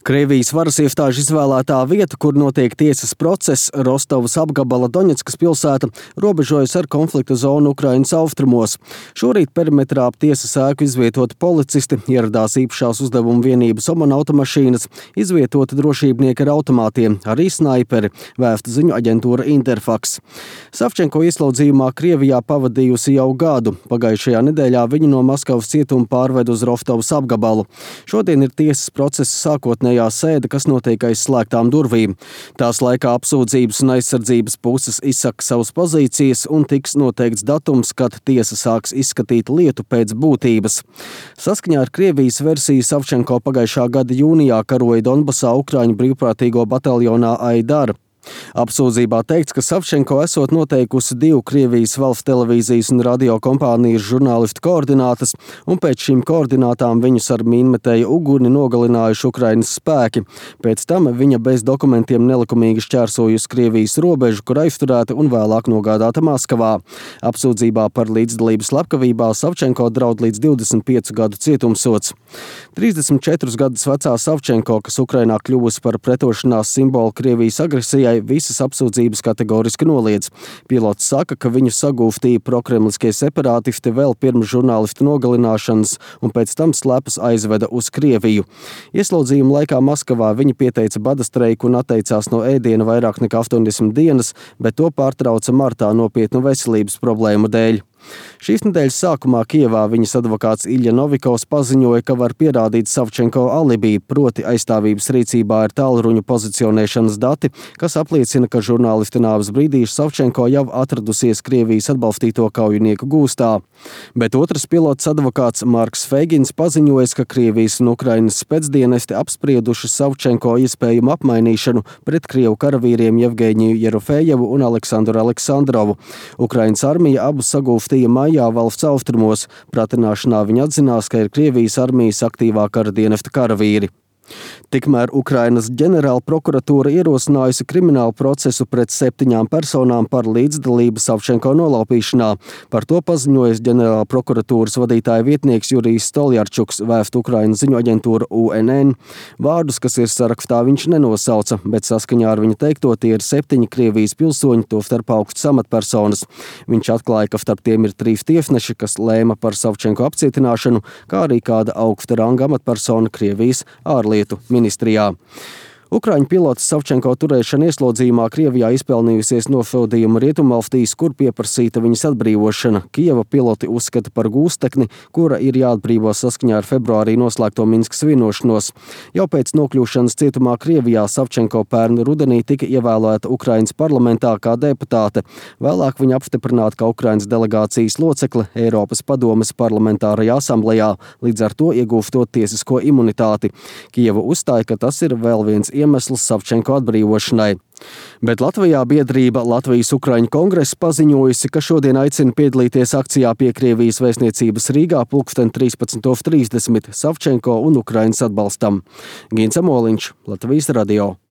Krievijas varas iestāžu izvēlētā vieta, kur notiek tiesas process, Rostovas apgabala Doņetskas pilsēta, robežojas ar konflikta zonu Ukrainas austrumos. Šorīt perimetrā ap tiesas ēku izvietoti policisti, ieradās īpašās uzdevuma vienības Oman automašīnas, izvietoti drošībnieki ar automātiem, arī snaiperi, vēsta ziņu aģentūra Interfax. Savčenko ieslodzījumā Krievijā pavadījusi jau gadu. Pagājušajā nedēļā viņu no Maskavas cietuma pārved uz Rostovas apgabalu. Šodien ir tiesas procesa sākotnējā sēde, kas notiek aiz slēgtām durvīm. Tās laikā apsūdzības un aizsardzības puses izsaka savas pozīcijas un tiks noteikts datums, kad tiesa sāks izskatīt lietu pēc būtības. Saskaņā ar Krievijas versiju Savčenko pagājušā gada jūnijā karoja Donbasā Ukraiņu brīvprātīgo bataljonā Aidar. Apsūdzībā teikts, ka Savčenko esot noteikusi 2 Krievijas valsts televīzijas un radio kompānijas žurnālistu koordinātas, un pēc šīm koordinātām viņus ar mīnmetēju uguni nogalinājuši Ukrainas spēki. Pēc tam viņa bez dokumentiem nelikumīgi šķērsojusi Krievijas robežu, kur aizturēta un vēlāk nogādāta Maskavā. Apsūdzībā par līdzdalību slepkavībā Savčenko draud līdz 25 gadu cietumsods. 34 gadus vecā Savčenko, kas Ukrainā kļuvusi par pretošanās simbolu Krievijas agresijai, visas apsūdzības kategoriski noliedz. Pilots saka, ka viņu sagūstīja prokremliskie separātisti vēl pirms žurnālistu nogalināšanas un pēc tam slepus aizveda uz Krieviju. Ieslodzījuma laikā Maskavā viņa pieteica bada streiku un atteicās no ēdiena vairāk nekā 80 dienas, bet to pārtrauca martā nopietnu veselības problēmu dēļ. Šīs nedēļas sākumā Kijevā viņas advokāts Ilja Novikovs paziņoja, ka var pierādīt Savčenko alibi, proti aizstāvības rīcībā ir tālruņu pozicionēšanas dati, kas apliecina, ka žurnālisti nāves brīdī Savčenko jau atradusies Krievijas atbalstīto kaujinieku gūstā. Bet otrs pilots advokāts Marks Feigins paziņoja, ka Krievijas un Ukrainas spēcdienesti apsprieduši Savčenko iespējumu apmainīšanu pret krievu karavīriem Jevgeņiju Jerofejevu un Aleksandru Aleksandrovu. Ukrainas armija abus sagūstīja maijā valsts austrumos. Pratināšanā viņi atzinās, ka ir Krievijas armijas aktīvā kara dienesta karavīri. Tikmēr Ukrainas ģenerāla prokuratūra ierosinājusi kriminālu procesu pret 7 personām par līdzdalību Savčenko nolaupīšanā. Par to paziņojas ģenerāla prokuratūras vadītāja vietnieks Jurijs Stoljarčuks, vēsta Ukrainas ziņu aģentūra UNN. Vārdus, kas ir sarakstā, viņš nenosauca, bet saskaņā ar viņa teikto tie ir 7 Krievijas pilsoņi, tostarp augstas amatpersonas. Viņš atklāja, ka starp tiem ir 3 tiesneši, kas lēma par Savčenko apcietināšanu, kā arī kāda augsta ranga amatpersona Krievijas ārlietu ministrijā. Ukraiņu pilots Savčenko turēšana ieslodzījumā Krievijā izpelnījusies nosodījumu Rietumvalstīs, kur pieprasīta viņas atbrīvošana. Kijeva piloti uzskata par gūstekni, kura ir jāatbrīvo saskaņā ar februārī noslēgto Minskas vienošanos. Jau pēc nokļūšanas cietumā Krievijā Savčenko pērn rudenī tika ievēlēta Ukrainas parlamentā kā deputāte. Vēlāk viņa apstiprināta kā Ukrainas delegācijas locekle Eiropas padomes parlamentārajā asamblejā, līdz ar to iegūstot tiesisko imunitāti. Kijeva uzstāja, ka tas ir vēl viens iemesls Savčenko atbrīvošanai. Bet Latvijā biedrība Latvijas Ukraiņu kongress paziņojusi, ka šodien aicina piedalīties akcijā pie Krievijas vēstniecības Rīgā pulksten 13:30 Savčenko un Ukrainas atbalstam. Gins Amoliņš, Latvijas radio.